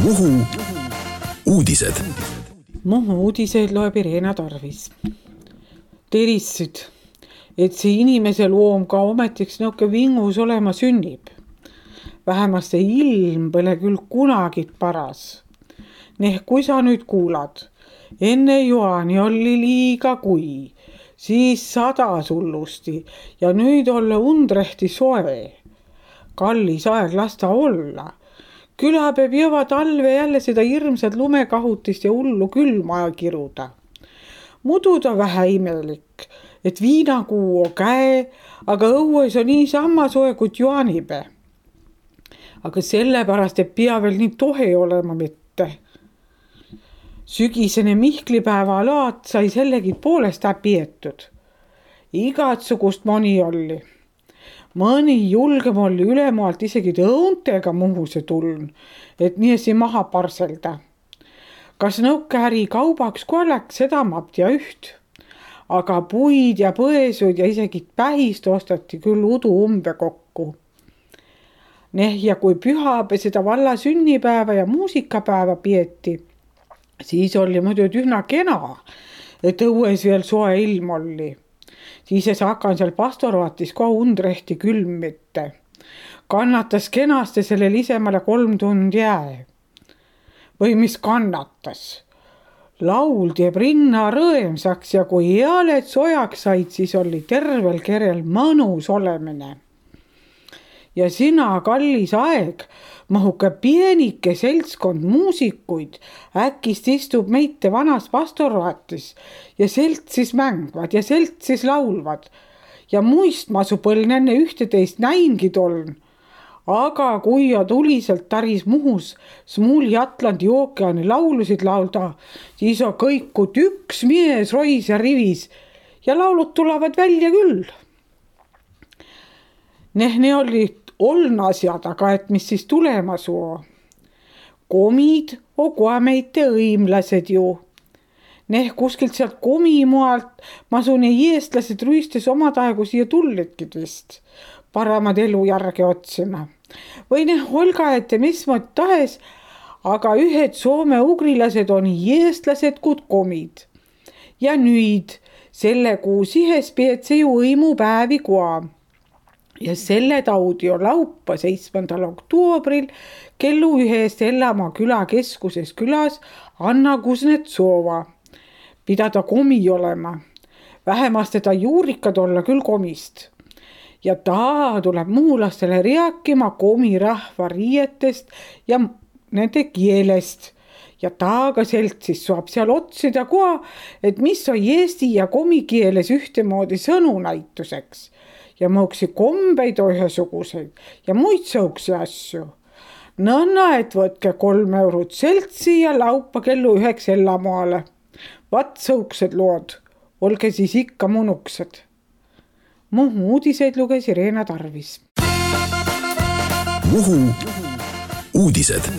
Muhu uudised. Muhu uudiseid loeb Irena Tarvis. Terissid, et see inimese loom ka ometiks nõuke vingus olema sünnib. Vähemast see ilm pole küll kunagit paras. Kui sa nüüd kuulad, enne Joani oli liiga kui, siis 100 hullusti ja nüüd olla undrehti soe. Kallis aeg lasta olla. Küla peab jõva talve jälle seda hirmsat lumekahutist ja hullu külma kiruda. Mudu ta vähe imelik, et viinakuu on käe, aga õues on nii sama soe kui Joanipe. Aga sellepärast, et pea veel nii tohe olema mitte. Sügisene Mihklipäeva laat sai sellegi poolest pietud. Igatsugust moni oli. Mõni julgem oli ülemaalt isegi õuntega Muhuse tuln, et niesi maha parselda. Kas nõuke äri kaubaks kui läks, seda mapti ja üht. Aga puid ja põesud ja isegi pähist ostati küll udu umbe kokku. Ja kui pühapäev seda valla sünnipäeva ja muusikapäeva pieti, siis oli muidu ühna kena, et õues veel soe ilm oli. Siis hakkan seal pastoraatis ka undrehti külm mitte. Kannatas kenasti selle lisemale 3 tundi jää. Või mis kannatas? Laul teeb rinna rõemsaks ja kui ealed sojaks said, siis oli tervel kerel mõnus olemine. Ja sina, kallis aeg, mahuke pienike seltskond muusikuid äkist istub meite vanas pastoraatis ja seltsis mängvad ja seltsis laulvad. Ja muist ma su põln enne 11 näingi toln. Aga kui ja tuliselt taris Muhus Smuuli Atlandi ookeani laulusid laulda, siis on kõikud üks mies rois ja rivis ja laulud tulevad välja küll. Ne olid asjad, aga et mis siis tulema suu. Komid on koameite õimlased ju. Kuskilt sealt komimualt masune eestlased ruistes omad aegu siia tullidki vist. Paramad elu järge otsima. Või olga ette mis mõt tahes, aga ühed soome-ugrilased on eestlased kui komid. Ja nüüd selle kuu sihes peetse ju õimupäevi koa. Ja selle taudi on laupa 7. oktoobril kellu 1 Ellamaa küla keskuses külas Anna Kuznetsova. Pidada komi olema. Vähemast teda juurikad olla küll komist. Ja ta tuleb muhulastele rääkima komi rahva riietest ja nende kielest. Ja taaga seltsis saab seal otsida koha, et mis on eesti ja komi keeles ühtemoodi sõnu näituseks. Ja mõuksi kombeid ühesuguseid ja muid sõuksi asju. Nõnna, et võtke 3 eurot seltsi ja laupa kellu 9 Ellamaale. Vat sõuksed lood, olge siis ikka munuksed. Muhu uudiseid luges Irena Tarvis. Muhu uudised.